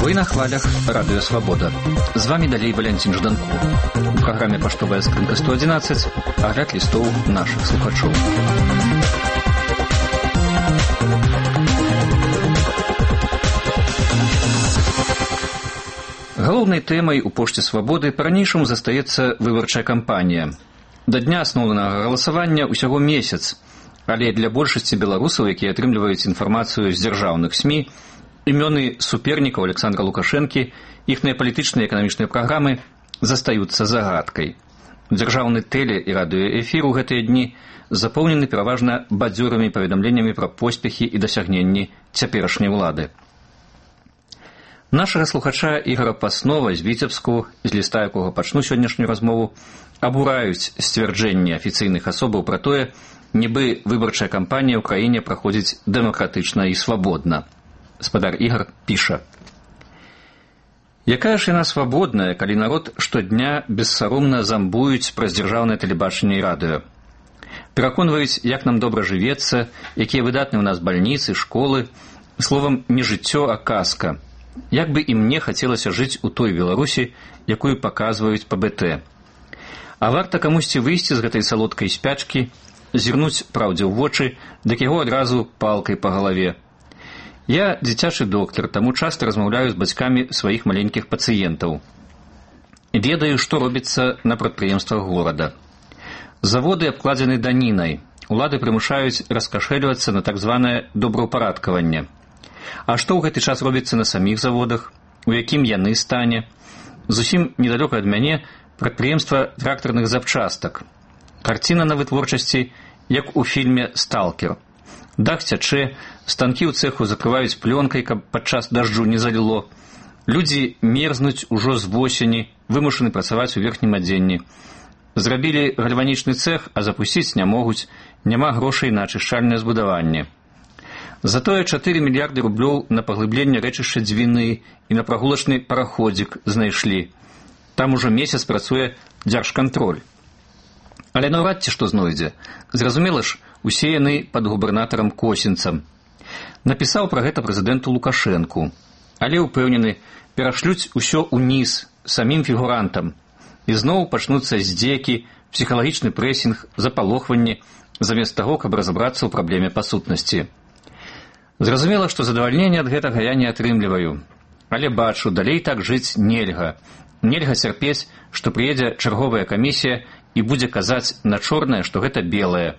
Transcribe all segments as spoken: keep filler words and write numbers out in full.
Вы на хвалях Радио Свобода. З вами далей Валентин Жданко. У программе «Поштовая скрынка сто одиннадцать» огляд листов наших слухачов. Галоўнай тэмай у «Пошце Свабоды» па-ранейшаму застаецца выбарчая кампанія. Да дня асноўнага галасавання ўсяго месяц, але для большасці беларусаў, якія атрымліваюць інфармацыю з дзяржаўных СМІ, імёны супернікаў Александра Лукашэнкі, іхныя палітычныя і эканамічныя праграмы застаюцца загадкай. Дзяржаўны тэле- і радыёэфір у гэтыя дні запоўнены пераважна бадзёрымі паведамленнямі пра поспехі і дасягненні цяперашняй улады. Нашага слухача Ігора Паснова з Віцебску, з ліста якога пачну сённяшнюю размову, абураюць сцвярджэнні афіцыйных асобаў пра тое, нібы выбарчая кампанія ў краіне праходзіць дэмакратычна і свабодна. Спадар Ігор піша: «Якая ж яна свабодная, калі народ штодня бессаромна замбуюць праз дзяржаўнае тэлебачанне і радыё. Пераконваюць, як нам добра жывецца, якія выдатныя ў нас бальніцы, школы, словам, не жыццё, а казка. Як бы і мне хацелася жыць у той Беларусі, якую паказваюць па бэ тэ. А варта камусьці выйсці з гэтай салодкай спячкі, зірнуць праўдзе ў вочы, дык яго адразу палкай па галаве. Я дзіцячы доктар, таму часта размаўляю з бацькамі сваіх маленькіх пацыентаў. Ведаю, што робіцца на прадпрыемствах горада. Заводы абкладзены данінай, улады прымушаюць раскашэльвацца на так званае добраўпарадкаванне. А што ў гэты час робіцца на саміх заводах, у якім яны стане? Зусім недалёка ад мяне прадпрыемства трактарных запчастак. Карціна на вытворчасці, як у фільме «Сталкер». Дах цячэ, станкі ў цэху закрываюць плёнкай, каб падчас дажджу не заліло. Людзі мерзнуць ужо з восені, вымушаны працаваць у верхнім адзенні. Зрабілі гальванічны цэх, а запусціць не могуць, няма грошай на ачышчальнае збудаванне. Затое чатыры мільярды рублёў на паглыбленне рэчышча Дзвіны і на прагулачны параходзік знайшлі. Там ужо месяц працуе дзяржкантроль. Але наўрад ці што знойдзе. Зразумела ж, усе яны пад губернатарам Косінцам. Напісаў пра гэта прэзідэнту Лукашэнку. Але ўпэўнены, перашлюць усё ўніз самім фігурантам. І зноў пачнуцца здзекі, псіхалагічны прэсінг, запалохванне, замест таго, каб разабрацца ў праблеме па сутнасці. Зразумела, што задавальнення ад гэтага я не атрымліваю. Але бачу, далей так жыць нельга. Нельга цярпець, што прыедзе чарговая камісія і будзе казаць на чорнае, што гэта белае.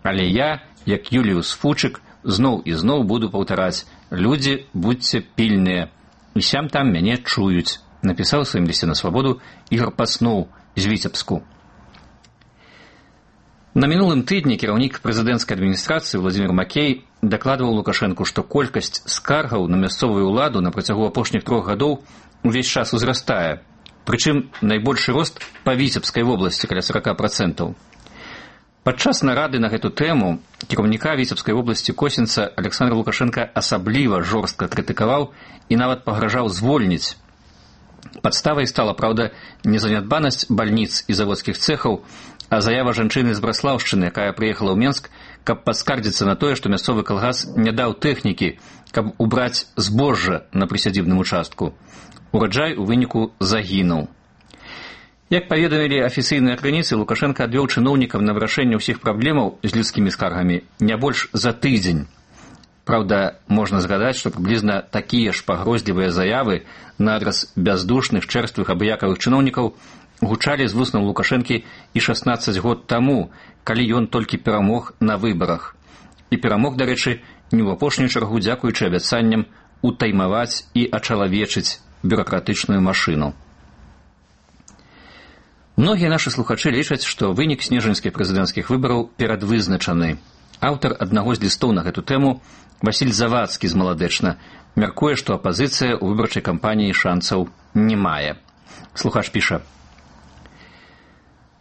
Але я, як Юліус Фучык, зноў і зноў буду паўтараць: людзі, будьце пільныя. І сям там мяне чуюць, напісаў у сваім лісце на Свабоду Ігор Пасноў з Віцебску. На мінулым тыдні кіраўнік прэзідэнцкай адміністрацыі Владзімір Макей дакладваў Лукашэнку, што колькасць скаргаў на мясцовую ўладу на працягу апошніх трох гадоў увесь час узрастае. Прычым найбольшы рост па Віцебскай вобласці, каля сорок працэнтаў. Падчас нарады на гэту тэму кіраўніка Віцебскай вобласці Косінца Александр Лукашенко асабліва жорстка крытыкаваў і нават пагражаў звольніць. Падставай стала, праўда, не занядбанасць бальніц і заводскіх цэхаў, а заява жанчыны з Браслаўшчыны, якая прыехала ў Менск, каб паскардзіцца на тое, што мясцовы калгас не даў тэхнікі, каб убраць збожжа на прысядзібным участку. Ураджай у выніку загінуў. Як паведамілі афіцыйныя крыніцы, Лукашенко адвёў чыноўнікам на вырашэнне ўсіх праблемаў з людскімі скаргамі не больш за тыдзень. Праўда, можна згадаць, што прыблізна такія ж пагрозлівыя заявы на адрас бяздушных, чэрствых, абыякавых чыноўнікаў гучалі з вуснаў Лукашэнкі і шаснаццаць год таму, калі ён толькі перамог на выбарах. І перамог, дарэчы, не ў апошнюю чаргу дзякуючы абяцанням утаймаваць і ачалавечыць бюракратычную машыну. Многія нашы слухачы лічаць, што вынік снежаньскіх прэзідэнцкіх выбараў перадвызначаны. Аўтар аднаго з лістоў на гэту тэму, Васіль Завадскі з Маладэчна, мяркуе, што апазіцыя ў выбарчай кампаніі шанцаў не мае. Слухач піша: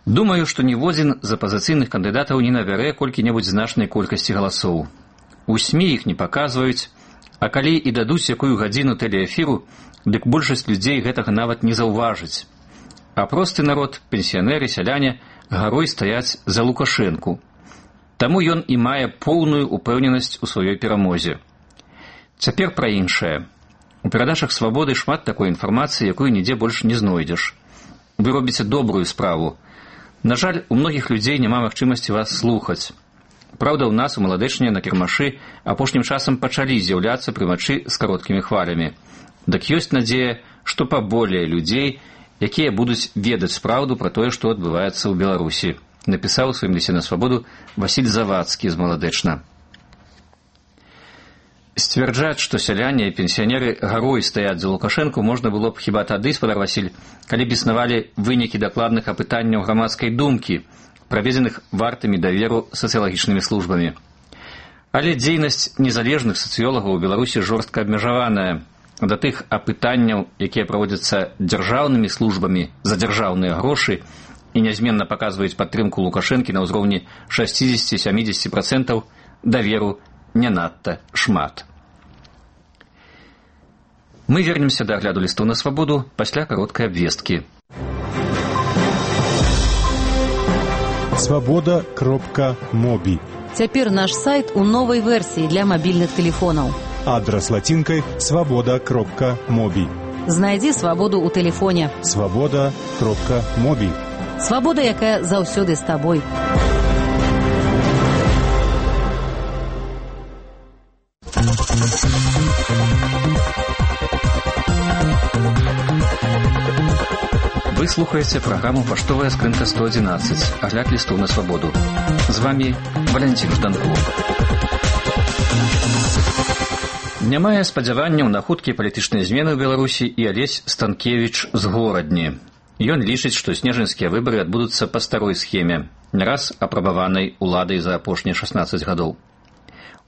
«Думаю, што ніводзін з апазіцыйных кандыдатаў не набярэ колькі-небудзь значнай колькасці галасоў. У СМІ іх не паказваюць, а калі і дадуць якую гадзіну тэлеэфіру, дык большасць людзей гэтага нават не заўважыць. А просты народ, пенсіянеры, сяляне гарой стаяць за Лукашэнку. Таму ён і мае поўную упэўненасць у сваёй перамозе. Цяпер пра іншае. У перадачах «Свабоды» шмат такой інфармацыі, якую нідзе больш не знойдзеш. Вы робіце добрую справу. На жаль, у многіх людзей няма магчымасці вас слухаць. Праўда, у нас у Маладэчне на кірмашы апошнім часам пачалі з'яўляцца прымачы з кароткімі хвалямі. Дык ёсць надзея, што паболее людзей, якія будуць ведаць праўду пра тое, што адбываецца ў Беларусі, напісаў у сваім лісце на «Свабоду» Васіль Завадскі з Маладэчна. Сцвярджаць, што сяляне і пенсіянеры гарой стаяць за Лукашэнку, можна было б хіба тады, спадар Васіль, калі б існавалі вынікі дакладных апытанняў грамадскай думкі, праведзеных вартымі даверу сацыялагічнымі службамі. Але дзейнасць незалежных сацыёлагаў у Беларусі жорстка абмежаваная. Да тых апытанняў, якія праводзяцца дзяржаўнымі службамі за дзяржаўныя грошы і нязменна паказваюць падтрымку Лукашэнкі на ўзроўні шэсцьдзесят-сямдзесят працэнтаў, даверу не надта шмат. Мы вернемся да агляду лістоў на «Свабоду» пасля кароткай абвесткі. свобода кропка моби. Цяпер наш сайт у новай версіі для мабільных тэлефонаў. Адрас лацінкай свобода кропка моби. Знайдзі свабоду ў тэлефоне. свобода кропка моби. Свабода, якая заўсёды з табой. Вы слухаеце праграму «Паштовая скрынка сто адзінаццаць», агляд лістоў на «Свабоду». З вами Валянцін Жданков. Не мае спадзяванняў на хуткія палітычныя змены ў Беларусі і Алесь Станкевіч з Горадні. Ён лічыць, што снежаньскія выбары адбудуцца па старой схеме, не раз апрабаванай уладай за апошнія шаснаццаць гадоў.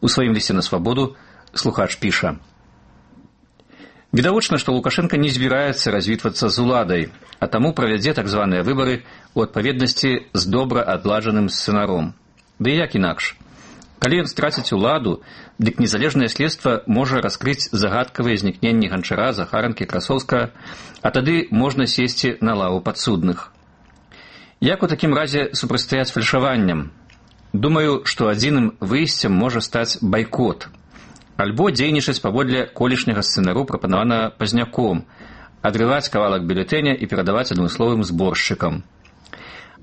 У сваім лісце на «Свабоду» слухач піша: «Відавочна, што Лукашенко не збіраецца развітвацца з уладай, а таму правядзе так званыя выбары ў адпаведнасці з добра адладжаным сцэнаром. Ды як інакш? Калі ён страціць уладу, дык незалежнае следства можа раскрыць загадкавыя знікненні Ганчара, Захаранкі, Красоўскага, а тады можна сесці на лаву падсудных. Як у такім разе супрацьстаяць фальшаванням? Думаю, што адзіным выйсцем можа стаць байкот. Альбо дзейнічаць паводле колішняга сцэнару, прапанаванага Пазняком, адрываць кавалак бюлетэня і перадаваць адмысловым зборшчыкам.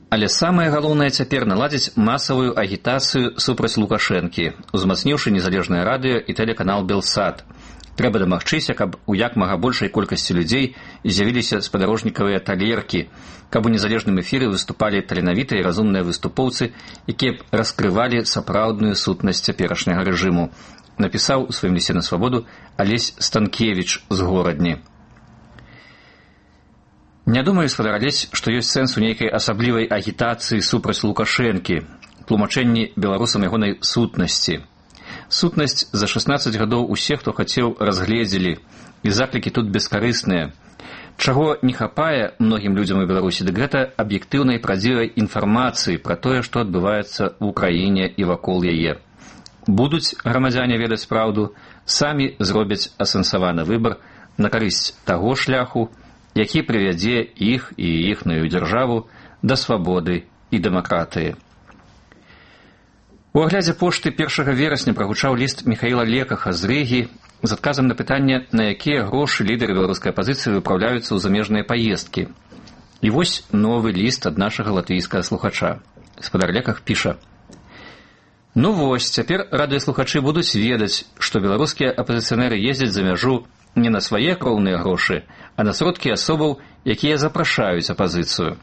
Але самае галоўнае цяпер наладзіць масавую агітацыю супраць Лукашэнкі, узмацніўшы незалежнае радыё і тэлеканал «Белсат». Трэба дамагчыся, каб у як мага большай колькасці людзей з'явіліся спадарожнікавыя талеркі, каб у незалежным эфіры выступалі таленавітыя і разумныя выступоўцы, якія б раскрывалі сапраўдную сутнасць цяперашняга рэжыму, напісаў у сваім лісце на «Свабоду» Алесь Станкевіч з Горадні. Не думаю, спадар Алесь, што ёсць сэнс у нейкай асаблівай агітацыі супраць Лукашэнкі, тлумачэнні беларусам ягонай сутнасці. Сутнасць за шаснаццаць гадоў усе, хто хацеў, разгледзелі, і заклікі тут бескарысныя. Чаго не хапае многім людзям у Беларусі, дык гэта аб'ектыўнай правдзівай інфармацыі пра тое, што адбываецца ў краіне і вакол яе. Будуць грамадзяне ведаць праўду, самі зробяць асэнсаваны выбар на карысць таго шляху, які прывядзе іх і іхную дзяржаву да свабоды і дэмакратыі. У аглядзе пошты першага верасня прагучаў ліст Міхаіла Лекаха з Рыгі з адказам на пытанне, на якія грошы лідары беларускай апазіцыі выпраўляюцца ў замежныя паездкі. І вось новы ліст ад нашага латвійскага слухача. Спадар Леках піша: «Ну вось, цяпер радыёслухачы будуць ведаць, што беларускія апазіцыянеры ездзяць за мяжу не на свае кроўныя грошы, а на сродкі асобаў, якія запрашаюць апазіцыю.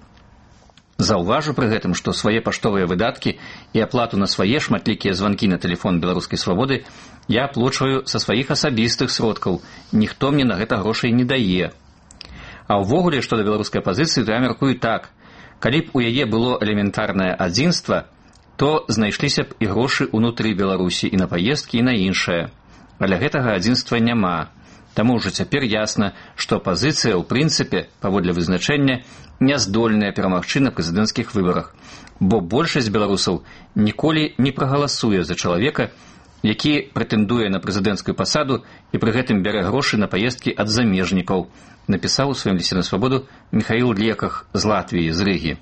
Заўважу пры гэтым, што свае паштовыя выдаткі і аплату на свае шматлікія званкі на тэлефон беларускай свабоды я аплачваю са сваіх асабістых сродкаў, ніхто мне на гэта грошай не дае. А ўвогуле, што да беларускай апазіцыі, то я мяркую так: калі б у яе было элементарнае адзінства, то знайшліся б і грошы ўнутры Беларусі і на паездкі, і на іншае. Але гэтага адзінства няма. Таму ўжо цяпер ясна, што апазіцыя, ў прынцыпе, паводле вызначэння, не здольная перамагчы на прэзідэнцкіх выбарах, бо большасць беларусаў ніколі не прагаласуе за чалавека, які прэтэндуе на прэзідэнцкую пасаду і пры гэтым бярэ грошы на паездкі ад замежнікаў, напісаў у сваім лісце на «Свабоду» Міхаіл Леках з Латвіі, з Рыгі.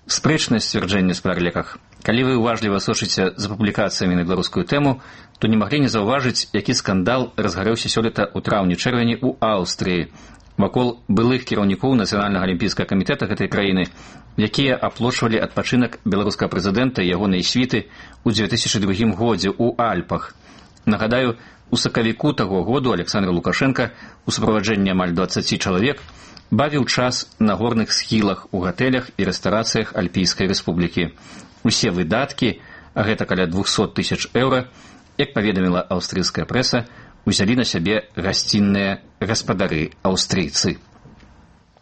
Спрэчнае сцвярджэнне з пераліках. Калі вы уважліва сочыце за публікацыямі на беларускую тэму, то не маглі не заўважыць, які скандал разгарэўся сёлета ў траўні-чэрвені ў Аўстрыі вакол былых кіраўнікоў Нацыянальнага алімпійскага камітэта гэтай краіны, якія аплочвалі адпачынак беларускага прэзідэнта і ягонай світы ў дзве тысячы другім годзе ў Альпах. Нагадаю, у сакавіку таго году Александр Лукашенко у суправаджэнні амаль дваццаці чалавек бавіў час на горных схілах у гатэлях і рэстарацыях Альпійскай рэспублікі. Усе выдаткі, а гэта каля двухсот тысяч еўра, як паведаміла аўстрыйская прэса, узялі на сябе гасцінныя гаспадары аўстрыйцы.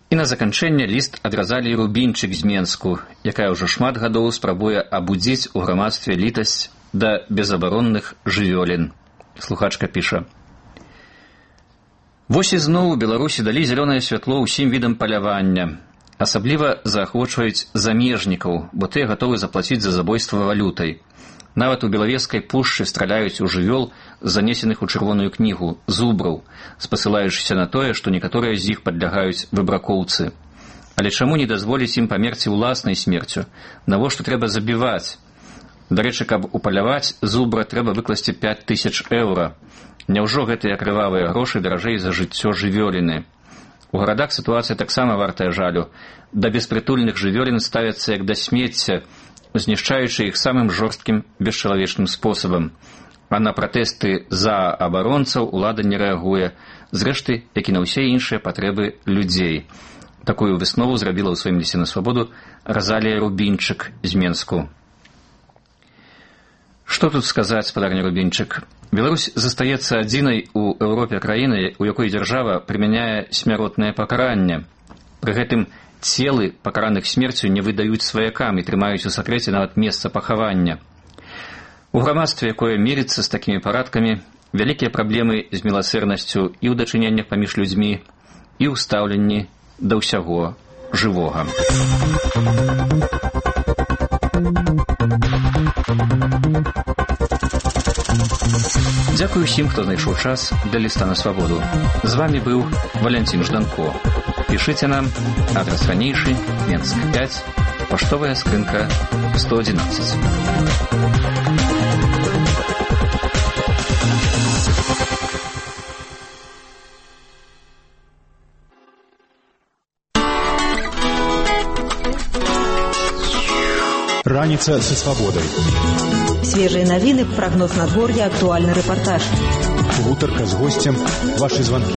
І на заканчэнне ліст ад Разаліі Рубінчык з Менску, якая ўжо шмат гадоў спрабуе абудзіць у грамадстве літасць да безабаронных жывёлін. Слухачка піша: «Вось ізноў у Беларусі далі зялёнае святло ўсім відам палявання. Асабліва заахвочваюць замежнікаў, бо тыя гатовы заплаціць за забойства валютай. Нават у Белавежскай пушчы страляюць у жывёл, занесеных у чырвоную кнігу, зубраў, спасылаючыся на тое, што некаторыя з іх падлягаюць выбракоўцы. Але чаму не дазволіць ім памерці ўласнай смерцю? Навошта трэба забіваць? Дарэчы, каб упаляваць зубра, трэба выкласці пяць тысяч еўра. Няўжо гэтыя крывавыя грошы даражэй за жыццё жывёліны? У гарадах сітуацыя таксама вартая жалю. Да беспрытульных жывёлін ставяцца як да смецця, знішчаючы іх самым жорсткім бесчалавечным спосабам. А на пратэсты за абаронцаў улада не рэагуе, зрэшты, як і на ўсе іншыя патрэбы людзей». Такую выснову зрабіла ў сваім лісце на свабоду Разалія Рубінчык з Менску. Што тут сказаць, спадарня Рубінчык? Беларусь застаецца адзінай у Еўропе краінай, у якой дзяржава прымяняе смяротнае пакаранне. Пры гэтым целы пакараных смерцю не выдаюць сваякам і трымаюць у сакрэце нават месца пахавання. У грамадстве, якое мірыцца з такімі парадкамі, вялікія праблемы з міласэрнасцю і ў дачыненнях паміж людзьмі, і ў стаўленні да ўсяго жывога. Дзякую ўсім, хто знайшоў час для ліста на свабоду. З вамі быў Валянцін Жданко. Пішыце нам, адрас ранейшы, Менск пяць, паштовая скрынка сто одиннадцать. Раніца са свабодай. Свежие новины, прогноз надворья, актуальный репортаж. Гутарка з гостем, ваши звонки.